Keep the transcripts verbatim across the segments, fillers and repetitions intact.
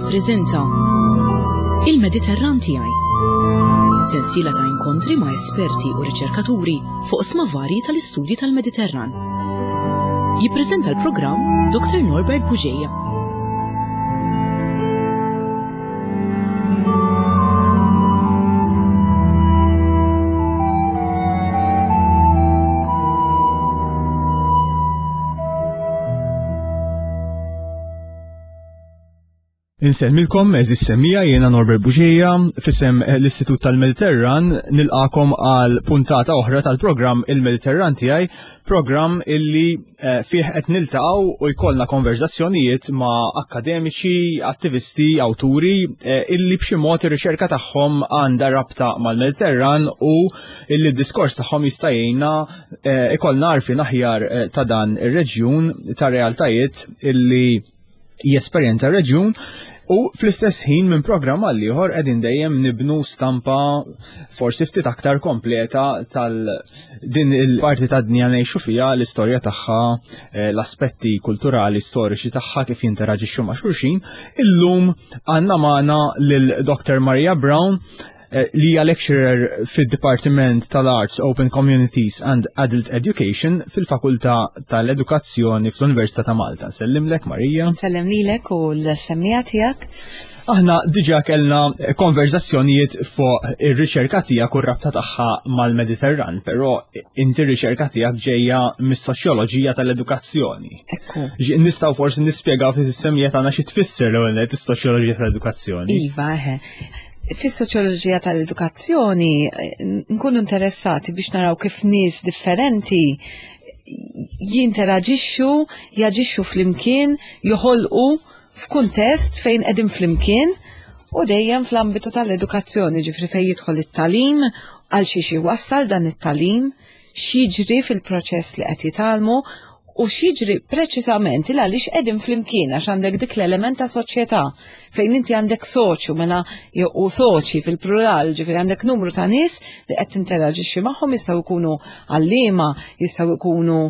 Jippreżenta Il-Mediterran tiegħi. Sensiela ta' inkontri ma' esperti u riċerkaturi fuq oqsma varji tal-istudji tal-Mediterran. Jippreżenta l-programm Dr. Norbert Bugeja. Insellmilkom, għeżież semmiegħa, jiena Norbert Bugeja, f'isem l-Istitut tal-Mediterran, nilqagħkom għal puntata oħra tal-programm Il-Mediterran tiegħi, programm illi eh, fih qed niltaqgħu u jkollna konverzazzjonijiet ma' akademiċi, attivisti, awturi eh, illi b'xi mod ir-riċerka tagħhom għandha rabta mal-Mediterran u illi d-diskors tagħhom jista' jgħinna eh, ikollna għarfien aħjar ta' dan ir-reġjun ta' realtajiet illi jesperjenza reġjun u fl-istess ħin minn programm għal ieħor qegħdin dejjem nibnu stampa forsi ftit aktar kompleta tal din il-parti ta' dinja ngħixu fiha, l-istorja tagħha, eh, l-aspetti kulturali, storiċi tagħha kif jinteraġixxu ma' xulxin. Illum għandna magħna lil Dr. Maria Brown eh, li hija lecturer fid-Dipartiment tal-Arts, Open Communities and Adult Education fil-Fakultà tal-Edukazzjoni fl-Università ta' Malta. Nsellimlek, Marija. Nsellem lilek u l-semmiegħa tiegħek. Aħna diġà kellna konverzazzjonijiet fuq ir-riċerka tiegħek u r-rabta tagħha mal-Mediterran, però inti r-riċerka tiegħek ġejja mis-soċjoloġija tal-edukazzjoni. Ekku. Nistgħu forsi nispjegaw fis-semmiegħa tagħna xi tfisser l-ewwel nett is-soċjoloġija tal-edukazzjoni. Iva, eħe. Fis-soċjoloġija tal-edukazzjoni eh, nkunu interessati biex naraw kif nies differenti jinteraġixxu, jaġixxu flimkien, joħolqu f'kuntest fejn qegħdin flimkien u dejjem fl-ambitu tal-edukazzjoni, ġifieri fejn jidħol it-tagħlim, għal xiex iwassal dan it-tagħlim, x'jiġri fil-proċess li qed jitgħallmu u x'jiġri preċisament il għaliex qegħdin flimkien għax għandek dik l-element ta' soċjetà fejn inti għandek soċju mela u soċi fil-plural, ġifieri għandek numru ta' nies li qed tinteraġixxi magħhom, jistgħu jkunu għalliema, jistgħu jkunu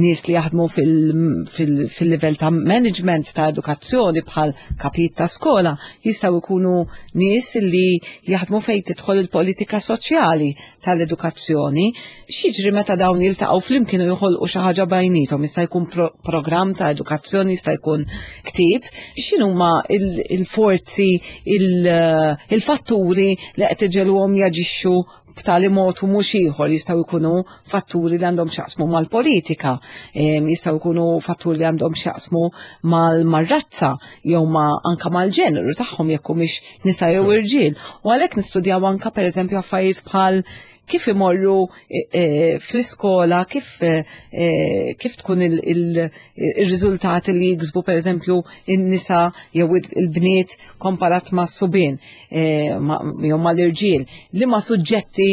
nies li jaħdmu fil-livell ta' management ta' edukazzjoni bħal kapijiet ta' skola, jistgħu jkunu nies li jaħdmu fejn tidħol il-politika soċjali tal-edukazzjoni. X'jiġri meta dawn jiltaqgħu flimkien u joħolqu xi ħaġa bejniethom, jista' jkun pro programm ta' edukazzjoni, jista' jkun ktieb, x'inhuma il-forzi, il-fatturi li qed iġegħluhom jaġixxu b'tali mod u mhux ieħor, jistgħu jkunu fatturi li għandhom x'jaqsmu mal-politika, jistgħu jkunu fatturi li għandhom x'jaqsmu mal-razza jew ma anka mal-ġeneru tagħhom jekk humiex nisa jew irġiel. U għalhekk nistudjaw anka pereżempju affarijiet bħal kif imorru e, e, fl-iskola, kif, e, kif tkun il-riżultati li jiksbu pereżempju in-nisa jew il-bniet komparat ma' subien jew mal-irġiel, li ma' suġġetti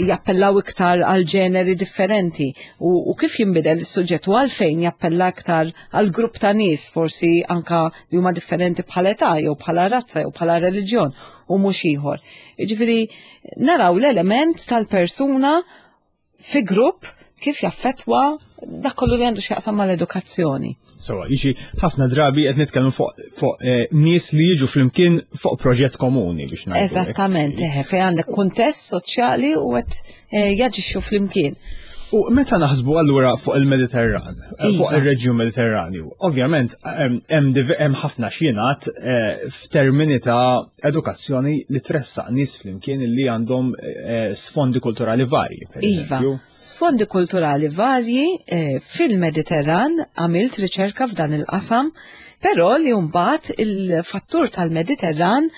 jappellaw iktar għal ġeneri differenti u, u kif jinbidel is-suġġett u għalfejn jappella iktar għal grupp ta' nies forsi anka li huma differenti bħala età jew bħala razza jew bħala reliġjon u mhux ieħor. Jiġifieri naraw l-element tal-persuna fi grupp kif jaffettwa dak kollu li għandu x'jaqsam mal-edukazzjoni. So, jiġi ħafna drabi qed nitkellmu fuq fu, eh, nies li jiġu flimkien fuq proġett komuni biex ngħidu. Eżattament, eħe, fejn għandek kuntest soċjali u qed eh, jaġixxu flimkien. U meta naħsbu allura fuq il-Mediterran, eh, fuq Iva. ir-reġjun Mediterranju, ovvjament hemm ħafna x'jingħad eh, f'termini ta' edukazzjoni li tressaq nies flimkien li għandhom eh, sfondi kulturali varji, per Iva. eżempju. Sfondi kulturali varji fil-Mediterran għamilt riċerka f'dan il-qasam, però li mbagħad il-fattur tal-Mediterran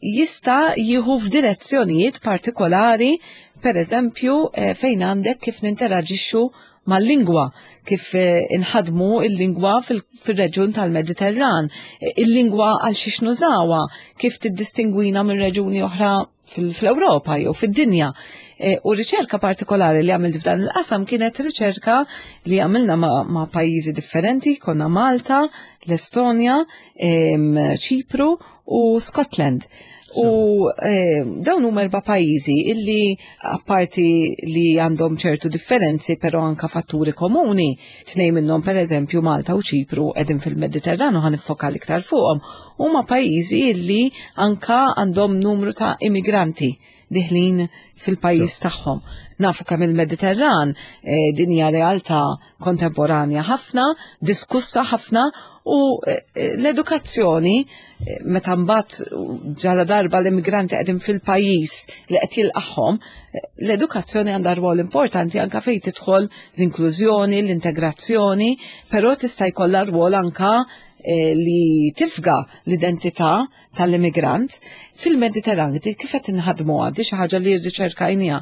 jista' jieħu f'direzzjonijiet partikolari, per eżempju fejn għandek kif ninteraġixxu mal-lingwa, kif inħadmu il-lingwa fil-reġjun tal-Mediterran, il-lingwa għal xiex nużawha, kif tiddistingwina minn reġjuni oħra fil-Ewropa jew fid-dinja. U riċerka partikolari li għamilt f'dan il-qasam kienet riċerka li għamilna ma', ma' pajjiżi differenti, konna Malta, l-Estonja, Ċipru u Scotland. U eh, dawn huma erba' pajjiżi illi, apparti li għandhom ċertu differenzi, però anka fatturi komuni, tnejn minnhom, pereżempju Malta u Ċipru, qegħdin fil-Mediterranu, ħa niffoka l-iktar fuqhom, huma pajjiżi illi anka għandhom numru ta' immigranti diħlin fil-pajjiż tagħhom. Nafu kemm il-Mediterran eh, din hija realtà kontemporanja ħafna, diskussa ħafna, u eh, l-edukazzjoni, eh, meta mbagħad ġala darba l-immigranti qegħdin fil-pajjiż li qed jilqagħhom, l-edukazzjoni għandha rwol importanti anka fejn tidħol l-inklużjoni, l-integrazzjoni, però tista' jkollha rwol anka li tifga l-identità tal-immigrant. Fil-Mediterran kif qed inħadmu għaddi xi ħaġa li rriċerkajnija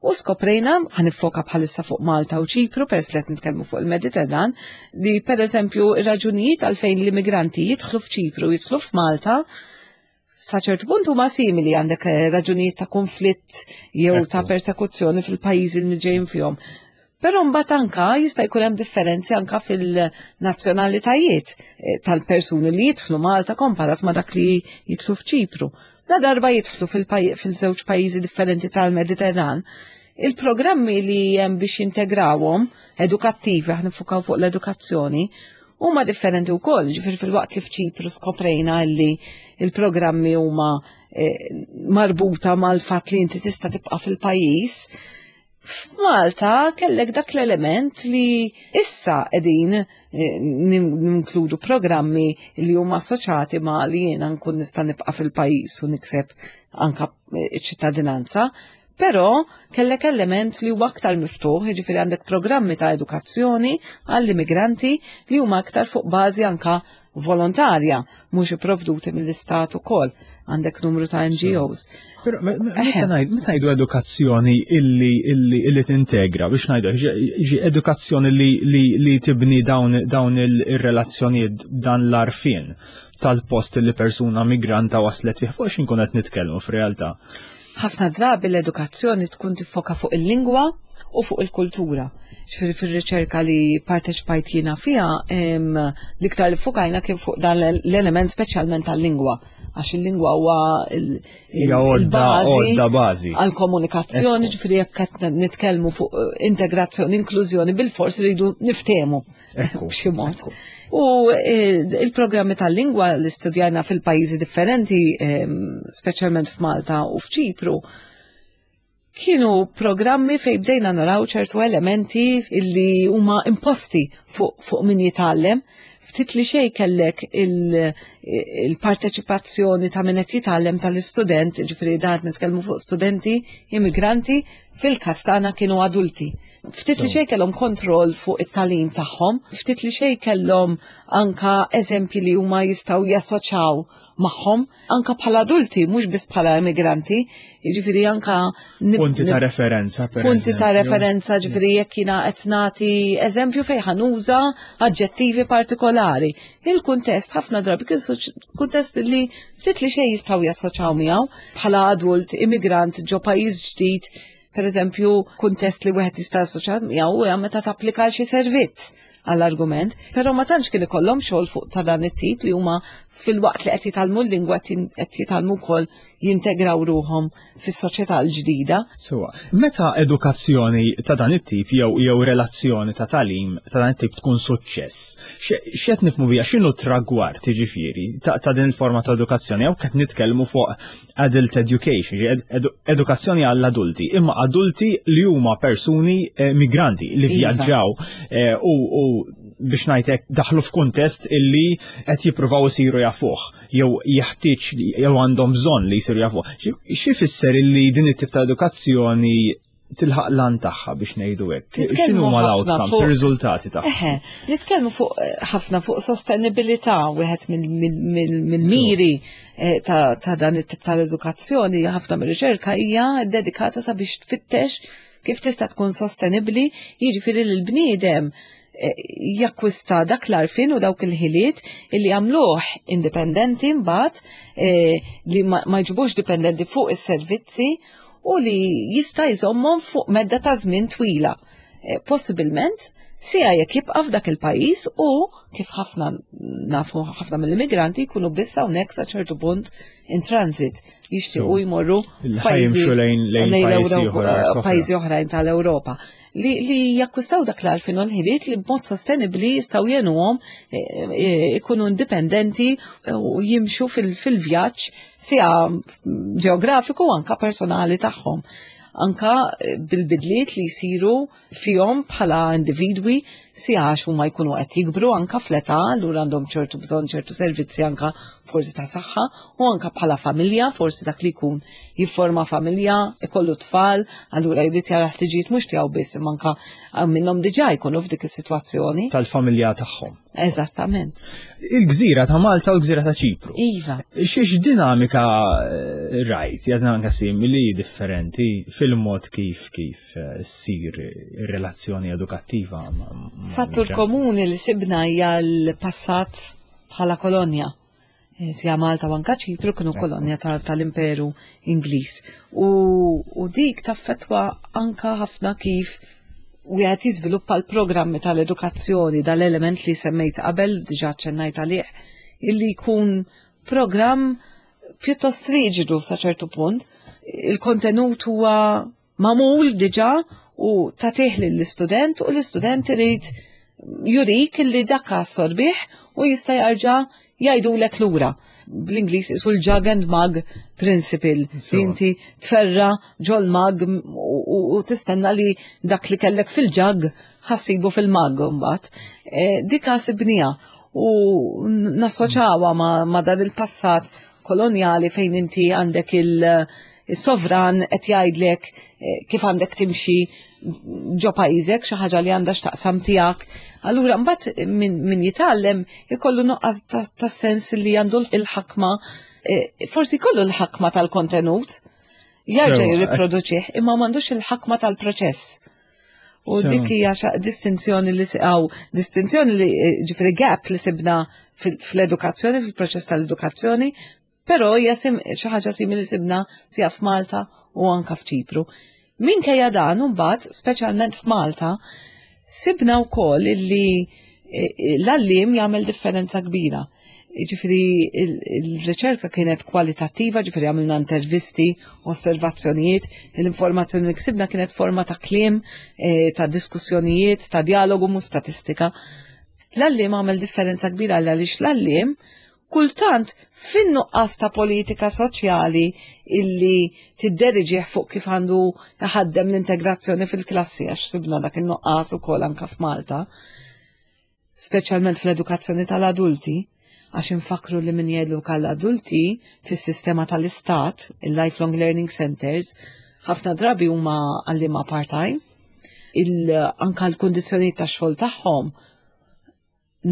u skoprejna, ħa niffoka bħalissa fuq Malta u Ċipru, peress li qed nitkellmu fuq il-Mediterran, li pereżempju ir-raġunijiet għalfejn l-immigranti jidħlu f'Ċipru, jidħlu f'Malta, sa ċertu punt huma simili. Għandek eh, raġunijiet ta' konflitt jew ta' persekuzzjoni fil-pajjiżi li ġejjin fihom. Però mbagħad anka jista' jkun hemm differenzi anka fil-nazzjonalitajiet eh, tal-persuni li jidħlu Malta komparat ma' dak li jidħlu f'Ċipru. La darba jidħlu fil-żewġ pajjiżi differenti tal-Mediterran, il-programmi li hemm biex jintegrawhom edukattivi, aħna niffukaw fuq l-edukazzjoni, huma differenti wkoll. Ġifieri fil-waqt li f'Ċipru skoprejna li il-programmi huma eh, marbuta mal-fatt li inti tista' tibqa' fil-pajjiż, f'Malta kellek dak l-element li issa qegħdin eh, ninkludu programmi li huma assoċjati ma' li jiena nkun nista' nibqa' fil-pajjiż u nikseb anka eh, ċittadinanza, però kellek element li huwa aktar miftuħ, jiġifieri għandek programmi ta' edukazzjoni għall-immigranti li huma aktar fuq bażi anka volontarja, mhux ipprovduti mill-istat ukoll. Għandek numru ta' N G Os. Però meta ngħidu edukazzjoni illi illi illi tintegra, biex ngħidu ġi edukazzjoni li li li tibni dawn dawn il-relazzjonijiet, dan l-għarfien tal-post li persuna migranta waslet fih, fuq x'inkun qed nitkellmu f'realtà? Ħafna drabi l-edukazzjoni tkun tiffoka fuq il-lingwa u fuq il-kultura. Ġifieri fil-riċerka li parteċipajt jiena fiha, l-iktar li ffukajna kien fuq dan l-element, speċjalment tal-lingwa. Għax il-lingwa huwa il-bażi għal-komunikazzjoni, ġifieri jekk qed nitkellmu fuq integrazzjoni, inklużjoni, bil-fors rridu niftehmu b'xi mod. U eh, il-programmi tal-lingwa li studjajna fil-pajjiżi differenti, speċjalment f'Malta u f'Ċipru, kienu programmi fej bdejna naraw ċertu elementi illi huma imposti fuq fu min jitgħallem. Ftit li xej kellek il-parteċipazzjoni ta' min qed jitgħallem, tal-istudent, ġifieri dan nitkellmu fuq studenti immigranti, fil-każ tagħna kienu adulti. Ftit li xej kellhom kontroll fuq it-tagħlim tagħhom, ftit li xej kellhom anka eżempji li huma jistgħu jassoċjaw magħhom anka bħala adulti, mhux biss bħala immigranti, jiġifieri anka punti ta' referenza, per punti ta' referenza, ġifieri jekk jiena qed nagħti eżempju fejn ħa nuża aġġettivi partikolari. Il-kuntest ħafna drabi kien kuntest li ftit li xejn jistgħu jassoċjaw miegħu bħala adult immigrant ġo pajjiż ġdid. Per eżempju, kuntest li wieħed jista' assoċjat miegħu huwa meta tapplika xi servizz, għall-argument, però ma tantx kien ikollhom xogħol fuq ta' dan it-tip li huma fil-waqt li qed jitgħallmu l-lingwa qed jitgħallmu wkoll jintegraw ruhom fis-soċjetà l-ġdida. Sewwa, meta edukazzjoni ta' dan it-tip jew jew relazzjoni ta' tagħlim ta' dan it-tip tkun suċċess, x'qed nifhmu biha, x'inhu tragward jiġifieri ta' din il-forma ta' edukazzjoni, jew qed nitkellmu fuq adult education, edukazzjoni għall-adulti, imma adulti li huma persuni eh, migranti li iva. vjaġġaw eh, u biex ngħidlek daħlu f'kuntest illi qed jippruvaw isiru jafuh jew jeħtieġ jew għandhom bżonn li jsiru jafuh. Xi fisser illi din it-tip ta' edukazzjoni tilħaq l-għan tagħha, biex ngħidu hekk? X'inhu huma l-outcomes, ir-riżultati tagħha? Eħe, nitkellmu fuq ħafna fuq sostenibilità. Wieħed mill-miri eh, ta' dan it-tip tal-edukazzjoni, ħafna mir-riċerka hija dedikata sabiex tfittex kif tista' tkun sostenibbli, jiġifieri l-bniedem eh, jakkwista dak l-għarfien u dawk il-ħiliet illi għamluh indipendenti mbagħad, eh, li ma jġibux dipendenti fuq is-servizzi u li jista' jżommhom fuq medda ta' żmien twila. eh, possibilment sija jekk jibqa' f'dak il-pajjiż u kif ħafna nafu, ħafna mill-immigranti jkunu biss hawnhekk sa ċertu punt in transit, jixtiequ jmorru lejn pajjiżi oħrajn tal-Ewropa li, li jakkwistaw dak l-għarfien u l-ħiliet li b'mod sostenibli jistgħu jgħinuhom eh, eh, ikunu indipendenti u jimxu fil-vjaġġ sija ġeografiku anka personali tagħhom, anka eh, bil-bidliet li jisiru fihom bħala individwi, sija għax huma jkunu qed jikbru anka fl-età, allura għandhom ċertu bżonn ċertu servizzi anka forsi ta' saħħa u anka bħala familja, forsi dak li jkun jifforma familja, ikollu tfal, allura jrid jara ħtiġijiet mhux tiegħu biss, imma anka minnhom diġà jkunu f'dik is-sitwazzjoni. Tal-familja tagħhom. Eżattament. Il-gżira ta' Malta u l-gżira ta' Ċipru. Iva. Xiex dinamika eh, rajt, hija dinamika simili, differenti fil-mod kif kif eh, ssir ir-relazzjoni edukattiva? Fattur komuni li sibna hija l-passat bħala kolonja. Eh, sija Malta u anka Ċipru kienu kolonja tal-Imperu Ingliż. U, u dik taffetwa anka ħafna kif wieħed jiżviluppa l-programmi tal-edukazzjoni, dal-element li semmejt qabel, diġà ċennajt għalih, illi jkun programm pjuttost riġidu sa ċertu punt. Il-kontenut huwa magħmul diġà u tagħtih lill-istudent u l-istudent irid jurik illi dak assorbih u jista' jarġa' jgħidulek lura. Bl-Ingliż isu l-jug and mug principle. Inti tferra ġol mug u tistenna li dak li kellek fil-jug ħa ssibu fil-mug mbagħad. E, dika sibnieha u nassoċawha ma, ma dan il-passat koloniali fejn inti għandek il-sovran qed jgħidlek e, kif għandek timxi ġo pajjiżek, xi ħaġa li għandha x'taqsam tiegħek. Allura mbagħad min, min jitgħallem ikollu nuqqas ta' sens li għandu l-ħakma, e, forsi jkollu l-ħakma tal-kontenut, jarġa' jirriproduċih, imma m'għandux il-ħakma tal-proċess. U dik hija distinzjoni li għaw, distinzjoni li, ġifieri gap li sibna fl-edukazzjoni, fil-proċess tal-edukazzjoni, però hija xi ħaġa simili sibna sija f'Malta u anka f'Ċipru. Minkejja dan, mbagħad, speċjalment f'Malta, sibna wkoll illi e, e, l-għalliem jagħmel differenza kbira. Ġifieri il-riċerka kienet kwalitattiva, ġifieri għamilna intervisti, osservazzjonijiet, l-informazzjoni li ksibna kienet forma ta' kliem, e, ta' diskussjonijiet, ta' dialogu, mhux statistika. L-għalliem għamel differenza kbira għaliex l-għalliem kultant fin-nuqqas ta' politika soċjali illi tidderiġih fuq kif għandu ħaddem l-integrazzjoni fil-klassi, għax sibna dak in-nuqqas ukoll anka f'Malta, speċjalment fl-edukazzjoni tal-adulti, għax infakru li min jeduka l-adulti fis-sistema tal-istat, il-Lifelong Learning Centers, ħafna drabi huma għalliema part-time, anka l-kundizzjoni tax-xogħol tagħhom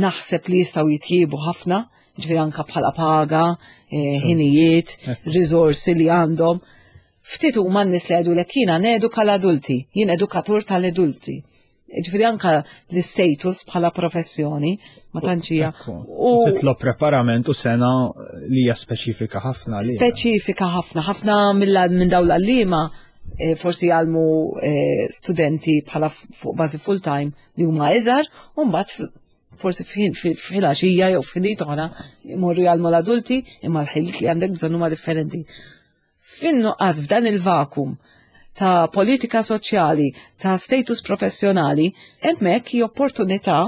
naħseb li jistgħu jitjiebu ħafna, ġifieri anka bħala paga, eh, ħinijiet, risorsi li għandhom. Ftit huma n-nies li jgħidulek jiena neduka l-adulti, jien edukatur tal-adulti. Ġifieri anka l-status bħala professjoni ma tantx hija. U titlob preparament u sena li hija speċifika ħafna. Speċifika ħafna, ħafna minn dawn l-għalliema eh, forsi jgħallmu eh, studenti bħala fuq bażi full-time li huma iżgħar u mbagħad forsi fil-għaxija jew f'ħinijiet oħra jmorru jgħallmu l-adulti, imma l-ħiliet li għandek bżonn huma differenti. Fin-nuqqas f'dan il-vakum ta' politika soċjali, ta' status professjonali, hemmhekk hi opportunità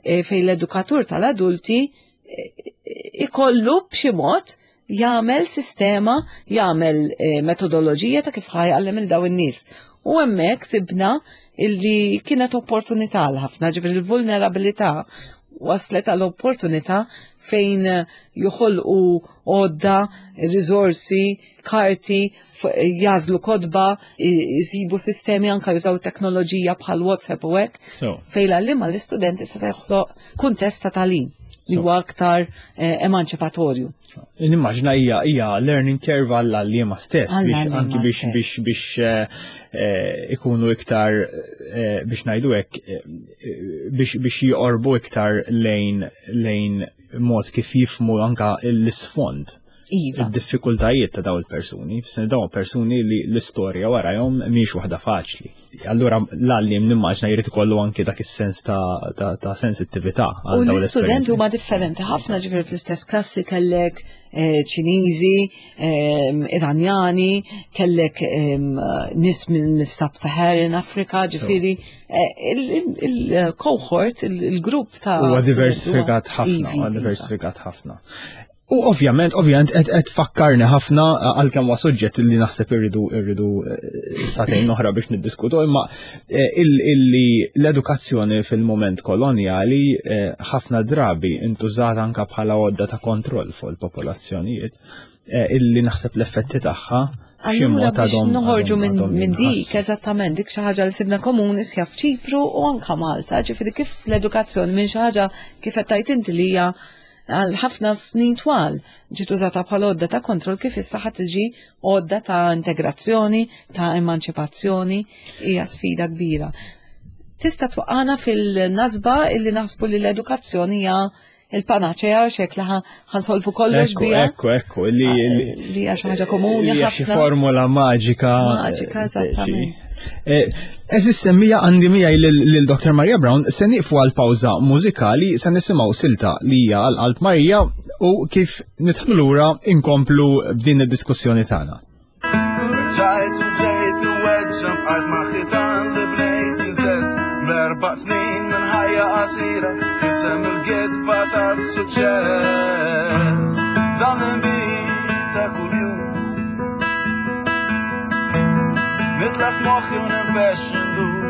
e, fejn l-edukatur tal-adulti e, ikollu b'xi mod jagħmel sistema, jagħmel e, metodoloġija ta' kif ħa jgħallem lil dawn in-nies. U hemmhekk sibna illi kienet opportunità għal ħafna, ġifieri l-vulnerabilità waslet għal opportunità fejn joħolqu għodda, risorsi, karti, jagħżlu kotba, jisibu sistemi, anka jużaw teknoloġija bħal WhatsApp u hekk. Fejn l-għalliema l-istudenti seta' joħloq kuntest ta' tagħlim li huwa aktar eh, emanċipatorju. Nimmaġina hija hija learning curve għall-għalliema stess biex anki biex biex biex eh, eh, ikunu iktar, biex ngħidu hekk, biex biex joqorbu iktar lejn lejn mod kif jifhmu anka l-isfond. Iva. Id-diffikultajiet ta' daw il-persuni, f'sen dawn persuni li l-istorja warajhom mhix waħda faċli. Allura l-għalliem nimmaġna jrid ikollu anke dak is-sens ta', ta, ta' sensittività U għal dawn l-istudenti l-esperjenzi. huma differenti ħafna, ġifieri fl-istess klassi kellek eh, Ċiniżi, ehm, Iranjani, kellek ehm, nies minn Sub-Saharan Africa, ġifieri eh, il-cohort, il-grupp ta' Huwa studenti diversifikat huwa- ħafna, Ivi, huwa iva. diversifikat ħafna. U ovvjament, ovvjament, qed qed fakkarni ħafna għalkemm huwa suġġett li naħseb irridu irridu eh, sagħtejn oħra biex niddiskutu, imma eh, il- illi l-edukazzjoni fil-moment kolonjali eh, ħafna drabi intużat anka bħala għodda ta' kontroll fuq il-popolazzjonijiet, eh, illi naħseb l-effetti tagħha b'xi Allura mod biex għadhom- noħorġu għadhom- minn għadhom min dik, jinħassu. eżattament, dik xi ħaġa li sibna komuni sja f'Ċipru u anka Malta, ġifieri kif l-edukazzjoni minn xi ħaġa kif qed tgħid inti li hija għal ħafna snin twal ġiet użata bħala għodda ta' kontroll, kif issa ħadd tiġi għodda ta' integrazzjoni, ta' emanċipazzjoni, hija sfida kbira. Tista' twaqqana fil-nasba illi naħsbu li l-edukazzjoni hija il-panaċea xek li ħansolfu kollox Ekku, biha. ekku, ekku, li Ah, li hija xi ħaġa komuni li hija xi ħafna. formula maġika. Maġika, eh, eżattament. Eh, Eżis semmija għandi miegħi lil Doktor Maria Brown, se nieqfu għal pawża mużikali, se nisimgħu silta li hija għal qalb Marija u kif nidħlu lura inkomplu b'din id-diskussjoni tagħna. Ġajt u ġejt u weġġa bqajt ma' ħitan li bnejt jistess b'erba' snin minn ħajja qasira f'isem il-gidba tas-suċċess. Dan l-inbid ta' kuljum nitlef moħħi u ninfex ndur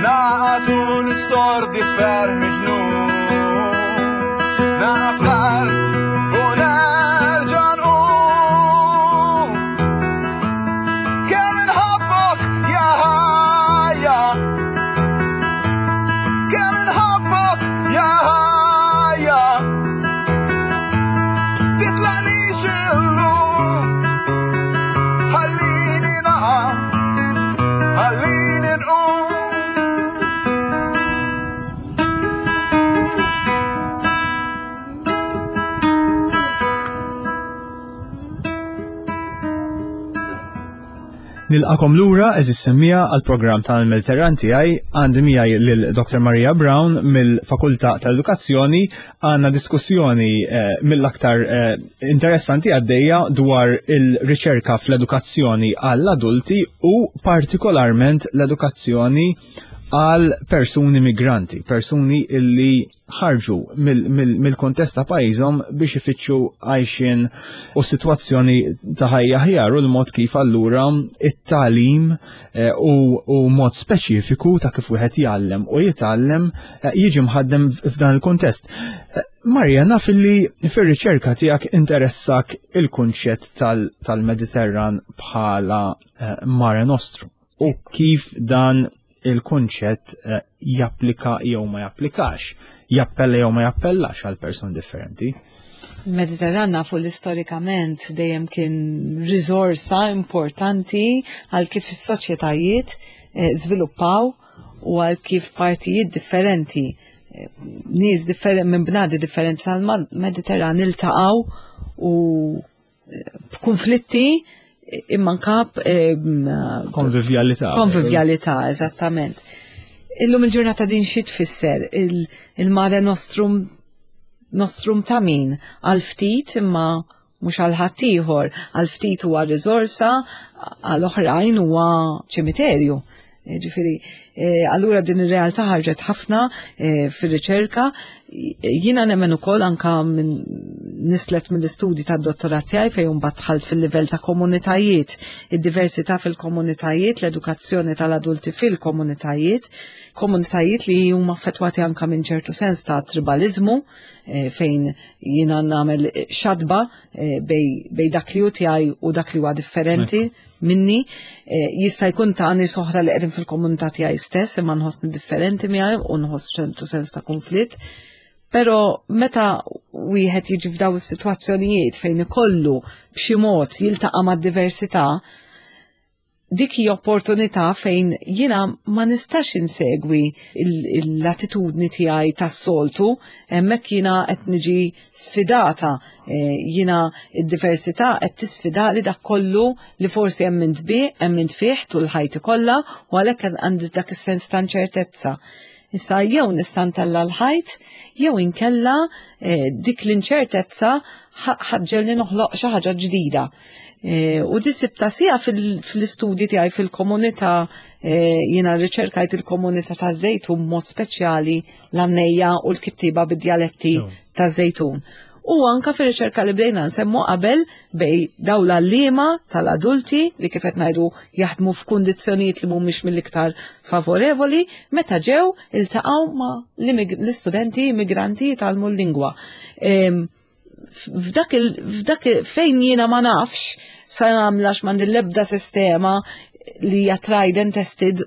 naqgħad u nistordi ferm miġnun naqaf l-art u nerġa' nqum. Kemm inħobbok ja ħajja, kemm inħobbok ja ħajja, titlaqnix illum, ħallini naqa', ħallini nqum. Nilqakom lura eżis semmija għal programm tal-Mediterran tiegħi. Għandi miegħi lil Doktor Maria Brown mill-Fakultà tal-Edukazzjoni. Għandna diskussjoni eh, mill-aktar eh, interessanti għaddejja dwar il-riċerka fl-edukazzjoni għall-adulti u partikolarment l-edukazzjoni għal persuni migranti, persuni illi ħarġu mill-kontest ta' pajjiżhom biex ifittxu għajxin u sitwazzjoni ta' ħajja ħjar u l-mod kif allura it-tagħlim eh, u, u mod speċifiku ta' kif wieħed jgħallem u jitgħallem eh, jiġi mħaddem f'dan il-kontest. Eh, Marja, naf illi fir-riċerka tiegħek interessak il-kunċett tal-Mediterran bħala Mare Nostrum u kif dan il-kunċett japplika jew ma japplikax, jappella jew ma jappellax għal person differenti. Mediterran nafu li storikament dejjem kien risorsa importanti għal kif is-soċjetajiet żviluppaw u għal kif partijiet differenti, nies differenti minn bnadi differenti tal-Mediterran iltaqgħu u b'konflitti imma nkab konvivjalità. Konvivjalità, eżattament. Illum il-ġurnata din xi tfisser il-Mare Nostrum, Nostrum ta' min? Għal ftit imma mhux għal ħaddieħor, għal ftit huwa riżorsa, għal oħrajn huwa ċimiterju. Ġifieri, allura din ir-realtà ħarġet ħafna fir-riċerka. Jiena nemmen ukoll anka minn nislet mill-istudji tad-dottorat tiegħi fejn mbagħad dħalt fil-livell ta' komunitajiet, id-diversità fil-komunitajiet, l-edukazzjoni tal-adulti fil-komunitajiet, komunitajiet li huma affettwati anka minn ċertu sens ta' tribalizmu, fejn jiena nagħmel xadba bej dak li hu tiegħi u dak li huwa differenti minni, jista' jkun ta' nies oħra li qegħdin fil-komunità tiegħi stess imma nħossni differenti miegħi u nħoss ċertu sens ta' konflitt. Però meta wieħed jiġi f'daw is-sitwazzjonijiet fejn ikollu b'xi mod jiltaqa' mad-diversità, Dik hija opportunità fejn jiena ma nistax insegwi l-attitudni tiegħi tas-soltu, hemmhekk jiena qed niġi sfidata, eh, jiena id-diversità qed tisfida li dak kollu li forsi hemm bih, hemm fih tul ħajti kollha u għalhekk għandi dak is-sens ta' inċertezza. Issa jew nista' ntella' l-ħajt, jew inkella eh, dik l-inċertezza ħa ġġegħelni noħloq xi ħaġa ġdida. Eh, u di sibtha sija fil-istudji tiegħi fil-komunità, eh, jiena riċerkajt il-komunità ta' Żejtun, mod speċjali l-għannejja u l-kittiba bid-djaletti ta' Żejtun. U anka fir-riċerka li bdejna nsemmu qabel bejn dawn l-għalliema tal-adulti li kif qed ngħidu jaħdmu f'kundizzjonijiet li mhumiex mill-iktar favorevoli meta ġew iltaqgħu ma' l-istudenti immigranti jitgħallmu l-lingwa. F'dak f'dak fejn jiena ma nafx sa nagħmlax, m'għandi l-ebda sistema li hija tried and tested,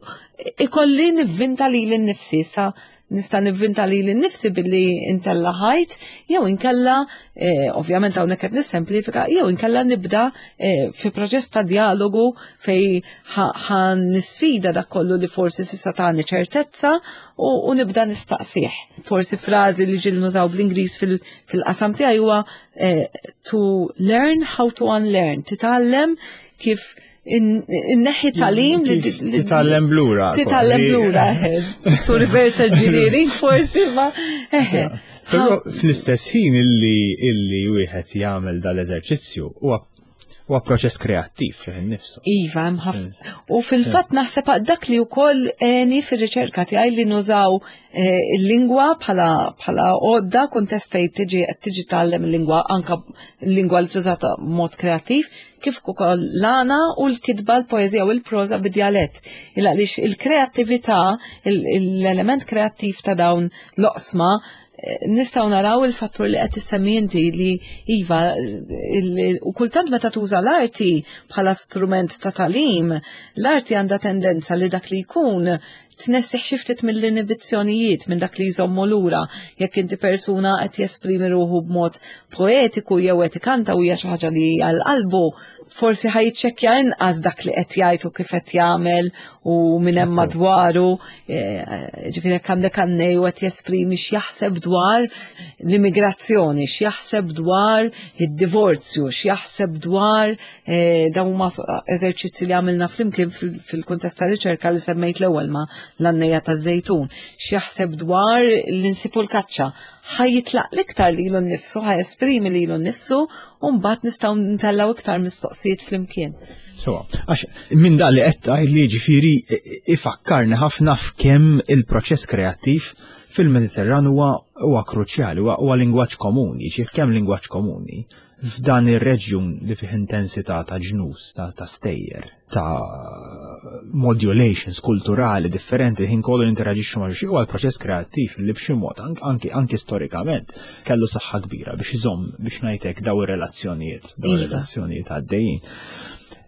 ikolli nivvinta lili nnifsi. Sa nista' nivvinta lili nnifsi billi intella ħajt jew inkella, eh, ovvjament hawnhekk qed nissemplifika, jew inkella nibda eh, fi proċess ta' dialogu fej ħa nisfida dak kollu li forsi s'issa tani ċertezza u, u nibda nistaqsih. Forsi frażi li ġieli nużaw bl-Ingliż fil-qasam tiegħi huwa eh, to learn how to unlearn, titgħallem kif inneħħi tagħlim li Titgħallem lura. Titgħallem lura. So reverse engineering forsi ma. Però fl-istess ħin illi illi wieħed jagħmel dal-eżerċizzju huwa huwa proċess kreattiv fih innifsu. Iva, hemm ħafna. U fil-fatt naħseb dak li wkoll għeni fir-riċerka tiegħi li nużaw eh, il-lingwa bħala bħala għodda, kuntest fejn tiġi qed tiġi tgħallem il-lingwa, anka l-lingwa li tużata b'mod kreattiv, kif ukoll l-għana u l-kitba, l-poeżija u l-proża bid-djalett. Il għaliex il-kreattività, l-element kreattiv ta' dawn l-oqsma, eh, nistgħu naraw il-fattur li qed issemmi inti li iva, u kultant meta tuża l-arti bħala strument ta' tagħlim, l-arti għandha tendenza li dak li jkun tnessih xi ftit mill-inibizzjonijiet, minn dak li jżommu lura. Jekk inti persuna qed jesprimi ruħu b'mod poetiku jew qed ikanta u hija xi ħaġa li għal qalbu, forsi ħa jiċċekkja inqas dak li qed jgħid u kif qed jagħmel u minn hemm madwaru. Eh, ġifieri jekk għandek għannej u qed jesprimi x'jaħseb dwar l-immigrazzjoni, x'jaħseb dwar id-divorzju, x'jaħseb dwar eh, dawn huma eżerċizzi li għamilna flimkien fil-kuntest ta' riċerka li semmejt l-ewwel ma' l-għannejja ta' Żejtun, x'jaħseb dwar l-insipu l-kaċċa. Ħa jitlaq l-iktar lilu nnifsu, ħa jesprimi lilu nnifsu u mbagħad nistgħu ntellgħu iktar mistoqsijiet flimkien. So, għax minn dak li qed tgħid li ġifieri ifakkarni ħafna f'kemm il-proċess kreattiv fil-Mediterran huwa huwa kruċjali, huwa lingwaġġ komuni, ġifieri kemm lingwaġġ komuni f'dan ir-reġjun li fih intensità ta' ġnus, ta', ta' stejjer, ta' modulations kulturali differenti ħin kollu interaġixxu ma' xi, huwa l-proċess kreattiv li b'xi mod anki anki storikament kellu saħħa kbira biex iżomm, biex ngħidlek, daw ir-relazzjonijiet, daw Iva. ir-relazzjonijiet għaddejjin.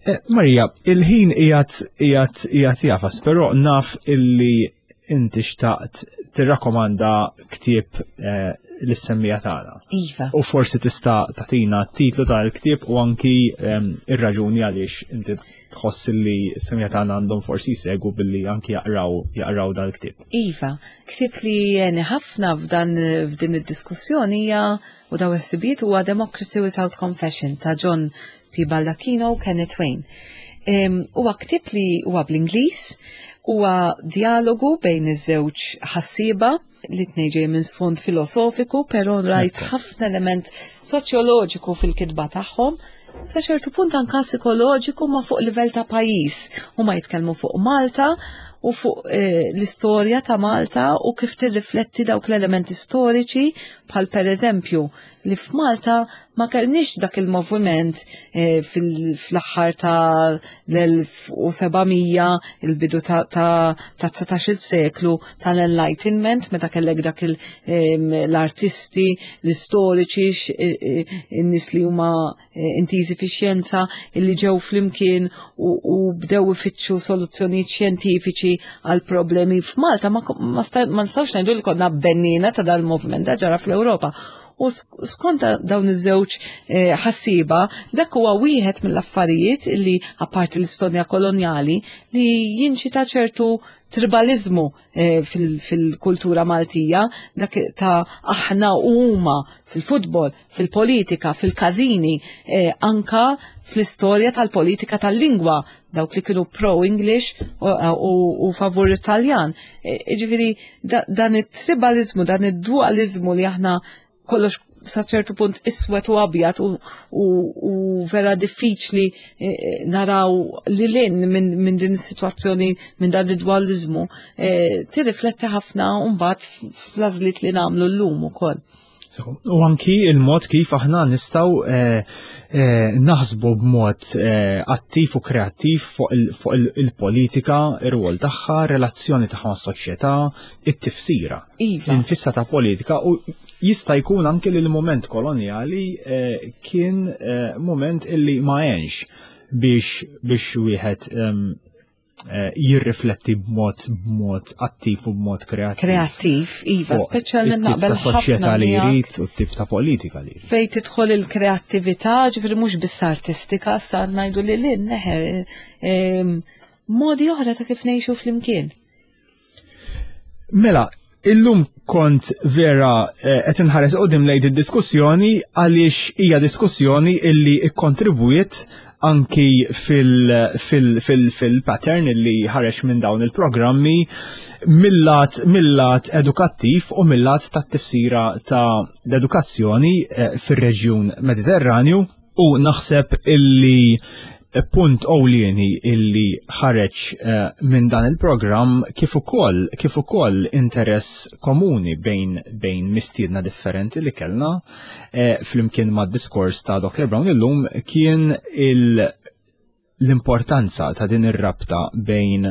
Eh, Marija, il-ħin qiegħed qiegħed qiegħed jagħfas, però naf illi inti xtaqt tirrakkomanda ktieb eh, lis-semmiegħa tagħna. Iva. U forsi tista' tagħtina t-titlu tal-ktieb u anki em, ir-raġuni għaliex inti tħoss li s-semmiegħa tagħna għandhom forsi jsegwu billi anki jaqraw jaqraw dal-ktieb. Iva, ktieb li għeni ħafna f'dan f'din id-diskussjoni hija u daw ħsibijiet huwa Democracy Without Confession ta' John P. Baldacchino u Kenneth Wayne. Em, Huwa ktieb li huwa bl-Ingliż, huwa dialogu bejn iż-żewġ ħassieba li tnejn ġej minn sfond filosofiku, però rajt ħafna element soċjoloġiku fil-kitba tagħhom, sa ċertu punt anka psikoloġiku ma fuq livell ta' pajjiż. Huma jitkellmu fuq Malta u fuq eh, l-istorja ta' Malta u kif tirrifletti dawk l-elementi storiċi, bħal per eżempju li f'Malta ma kellniex dak il-moviment eh, fil-aħħar ta' l-elf u seba' mija, il-bidu ta' ta' ta' dsatax-il seklu tal-Enlightenment, meta kellek dak il- em, l-artisti, l-istoriċi, x- eh, eh, in-nies li huma eh, intiżi fix-xjenza illi ġew flimkien u, u bdew ifittxu soluzzjonijiet xjentifiċi għal problemi. F'Malta ma, ma, sta- ma nistgħux ngħidu li konna bennina ta' dal-moviment, da ġara fl-Ewropa. U skont dawn iż-żewġ eh, ħassiba, dak huwa wieħed mill-affarijiet li, apparti l-istorja kolonjali, li jinċita ċertu tribalizmu eh, fil-kultura Maltija, dak ta' aħna huma fil-futbol, fil-politika, fil-każini, eh, anka fl-istorja tal-politika tal-lingwa, dawk li kienu pro-English u, u, u favur Italjan. E, ġifieri, da, dan it-tribalizmu, dan id-dualizmu li aħna kollox sa ċertu punt iswed u abjad u, u, u vera diffiċli eh, naraw li lin minn min din is-sitwazzjoni, minn dan id-dualizmu, eh, tirrifletti ħafna mbagħad fl-għażliet li nagħmlu llum ukoll. U anki il-mod kif aħna nistgħu eh, eh, naħsbu b'mod eh, attiv u kreattiv fuq il- fuq il- il-politika, ir-rwol tagħha, relazzjoni tagħha mas-soċjetà, it-tifsira. Iva. Infissa ta' politika, u jista' jkun anke li l-moment kolonjali eh, kien eh, moment illi ma għenx biex biex wieħed em, eh, jirrifletti b'mod b'mod attiv u b'mod kreattiv. Kreattiv, iva, fuq speċjalment it-tip naqbel ta' soċjetà ħafna li miegħek. jrid u t-tip ta' politika li jrid. Fej tidħol il-kreattività, ġifieri mhux biss artistika, sa ngħidu li lin, neħe, em, modi oħra ta' kif ngħixu flimkien. Mela, illum kont vera eh, qed inħares qudiem lejn id-diskussjoni għaliex hija diskussjoni illi ikkontribwiet anki fil-pattern fil, fil, fil illi ħareġ minn dawn il-programmi mill-lat mill-lat edukattiv u mill-lat tat-tifsira ta' l-edukazzjoni eh, fir-reġjun Mediterranju, u naħseb illi punt ewlieni illi ħareġ eh, minn dan il-programm, kif ukoll kif ukoll interess komuni bejn bejn mistiedna differenti li kellna eh, flimkien mad diskors ta' Doctor Brown illum, kien il l-importanza ta' din ir-rabta bejn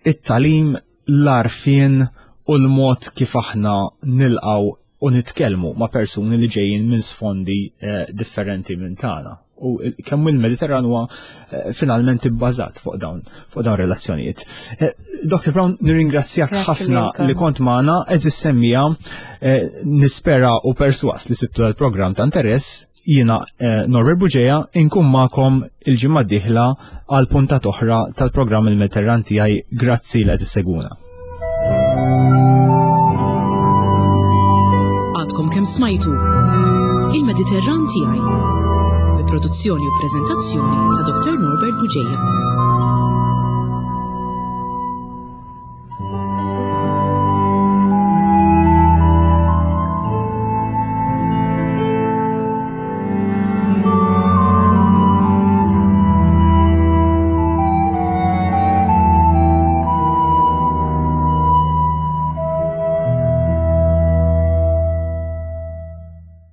it-tagħlim, l-għarfien u l-mod kif aħna nilqaw u nitkellmu ma' persuni li ġejjin minn sfondi eh, differenti minn tagħna. U kemm il-Mediterran huwa eh, finalment ibbażat fuq dawn fuq dawn relazzjonijiet. Eh, Doctor Brown, nirringrazzjak Grazzi ħafna lilkom. li kont magħna, għeżież semmiegħa, eh, nispera u perswas li sibtu l-programm ta' interess. Jiena eh, Norbert Bugeja, inkun magħkom il-ġimgħa d-dieħla għal puntat oħra tal-programm Il-Mediterran Tiegħi. Grazzi li qed issegwuna. Għadkom kemm smajtu Il-Mediterran Tiegħi bi produzzjoni u preżentazzjoni ta' Doctor Norbert Bugeja.